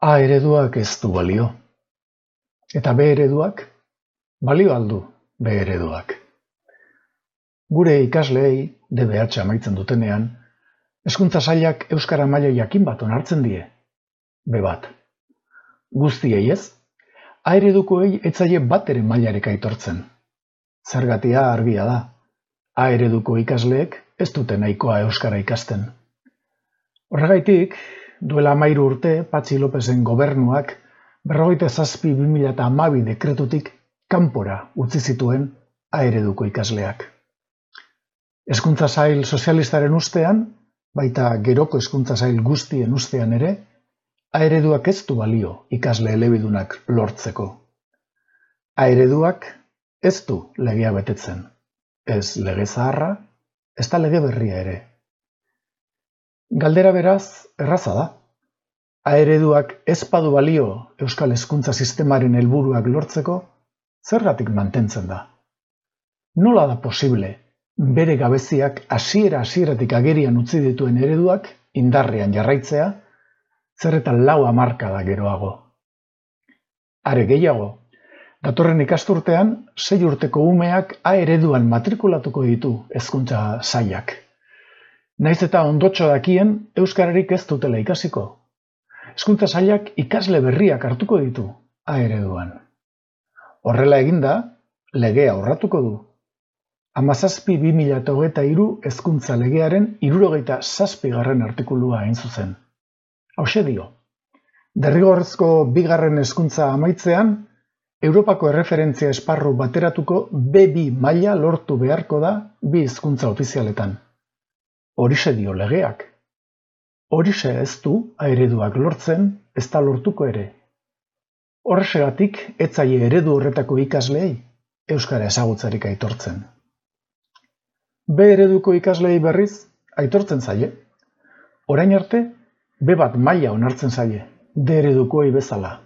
A ereduak ez du balio. Eta B ereduak, balio aldu B ereduak. Gure ikasleei DBH amaitzen dutenean, Hezkuntza Sailak euskara maila jakin bat onartzen die. B bat. Guztiei ez, A eredukoei ez zaie bat ere mailarik aitortzen. Zergatia argia da. A ereduko ikasleek ez dute nahikoa euskara ikasten. Horregaitik, duela 13 urte, Patxi Lopezen gobernuak 47/2012 dekretutik kanpora utzi zituen A ereduko ikasleak. Hezkuntza Sail sozialistaren ustean, baita geroko hezkuntza sail guztien ustean ere, A ereduak ez du balio ikasle elebidunak lortzeko. A ereduak ez du legea betetzen. Ez lege zaharra, ez da lege berria ere. Galdera beraz, erraza da. A ereduak ez badu balio euskal hezkuntza sistemaren helburuak lortzeko, zergatik mantentzen da? Nola da posible bere gabeziak hasieratik agerian utzi dituen ereduak indarrean jarraitzea, zer eta 4 hamarkada geroago? Are gehiago, datorren ikasturtean 6 urteko umeak A ereduan matrikulatuko ditu Hezkuntza Sailak. Naiz eta ondotxo dakien euskararik ez dutela ikasiko. Hezkuntza Sailak ikasle berriak hartuko ditu A ereduan. Horrela eginda, legea urratuko du. 17/2023 hezkuntza legearen 77. artikulua hain zuzen. Hauxe dio. Derrigorrezko 2. hezkuntza amaitzean, Europako erreferentzia esparru bateratuko B2 maila lortu beharko da 2 hizkuntza ofizialetan. Horixe dio legeak. Horixe ez du A ereduak lortzen, ez da lortuko ere. Horrexegatik ez zaie eredu horretako ikasleei euskara ezagutzarik aitortzen. B ereduko ikasleei berriz aitortzen zaie. Orain arte, B bat maila onartzen zaie, D eredukoei bezala.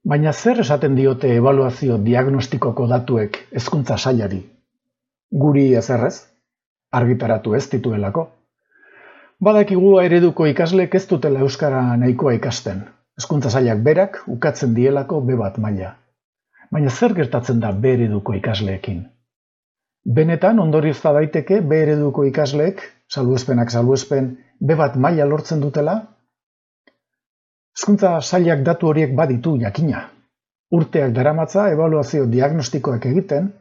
Baina zer esaten diote ebaluazio diagnostikoko datuek Hezkuntza Sailari? Guri ezerrez, argitaratu ez dituelako. Badakigu A ereduko ikasleek ez dutela euskara nahikoa ikasten. Hezkuntza Sailak berak ukatzen dielako B bat maila. Baina zer gertatzen da B ereduko ikasleekin? Benetan ondoriozta daiteke B ereduko ikasleek, salbuespenak salbuespen, B bat maila lortzen dutela? Hezkuntza Sailak datu horiek baditu jakina. Urteak daramatza ebaluazio diagnostikoak egiten,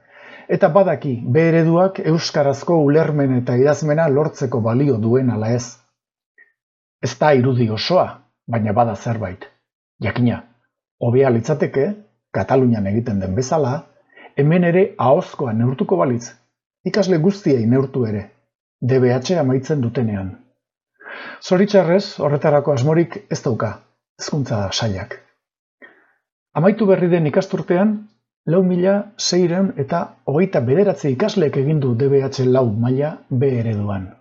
eta badaki B ereduak euskarazko ulermen eta idazmena lortzeko balio duen ala ez. Ez da irudi osoa, baina bada zerbait. Jakina, hobea litzateke, Katalunian egiten den bezala, hemen ere ahozkoa neurtuko balitz, ikasle guztiei neurtu ere, DBH amaitzen dutenean. Zoritxarrez, horretarako asmorik ez dauka Hezkuntza Sailak. Amaitu berri den ikasturtean, 4.629 ikasleek egin du DBH 4 maila B ereduan.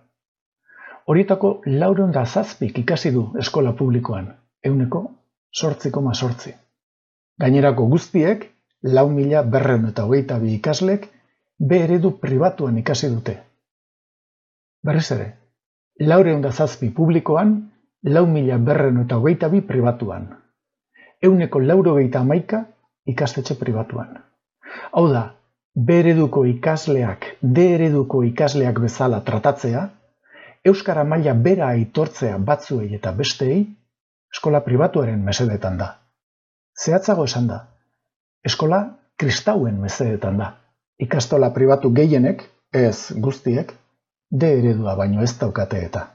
Horietako 407 ikasi du eskola publikoan, 8,8%. Gainerako guztiek 4.222 ikaslek B eredu pribatuan ikasi dute. Berriz ere, 407 publikoan, 4.222 pribatuan. 191 ikastetxe pribatuan. Hau da, B ereduko ikasleak D ereduko ikasleak bezala tratatzea, euskara maila bera aitortzea batzuei eta besteei, eskola pribatuaren mesedetan da. Zehatzago esan da, eskola kristauen mesedetan da. Ikastola pribatu gehienek, ez guztiek, D eredua baino ez daukate eta.